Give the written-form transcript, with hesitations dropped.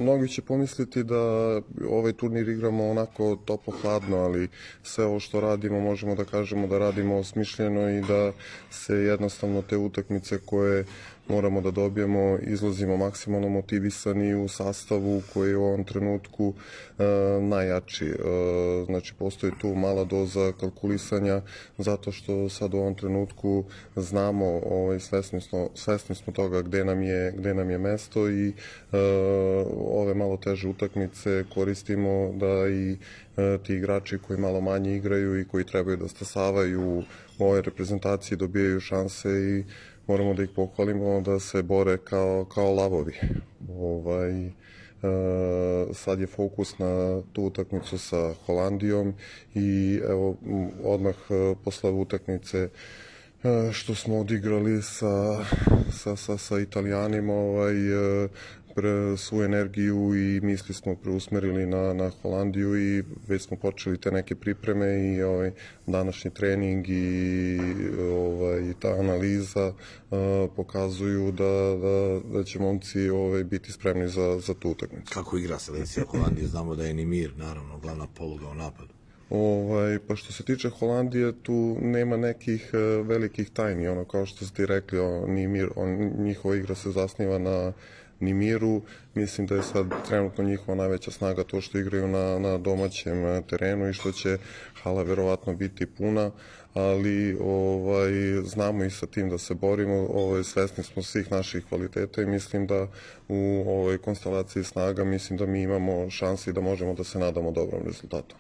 Mnogi će pomisliti da ovaj turnir igramo onako toplo-hladno, ali sve ovo što radimo možemo da kažemo da radimo osmišljeno i da se jednostavno te utakmice koje moramo da dobijemo izlazimo maksimalno motivisani u sastavu koji je u ovom trenutku najjači. Znači, postoji tu mala doza kalkulisanja zato što sad u ovom trenutku znamo, svesni smo toga gde nam je mesto i ove malo teže utakmice koristimo da i ti igrači koji malo manje igraju i koji trebaju da stasavaju u ovoj reprezentaciji dobijaju šanse i moramo da ih pohvalimo da se bore kao lavovi. Sad je fokus na tu utakmicu sa Holandijom i evo odmah posle utakmice što smo odigrali sa Italijanima, svu energiju i misli smo preusmerili na Holandiju i već smo počeli te neke pripreme i današnji trening i ta analiza pokazuju da će momci biti spremni za tu utakmicu. Kako igra selekcija Holandije? Znamo da je Nimir, naravno, glavna poluga u napadu. Pa što se tiče Holandije, tu nema nekih velikih tajni, kao što ste rekli, njihova igra se zasniva na Nimiru. Mislim da je sad trenutno njihova najveća snaga to što igraju na domaćem terenu i što će hala verovatno biti puna, ali znamo i sa tim da se borimo, svesni smo svih naših kvaliteta i mislim da u ovoj konstelaciji snaga mislim da mi imamo šansi da možemo da se nadamo dobrom rezultatu.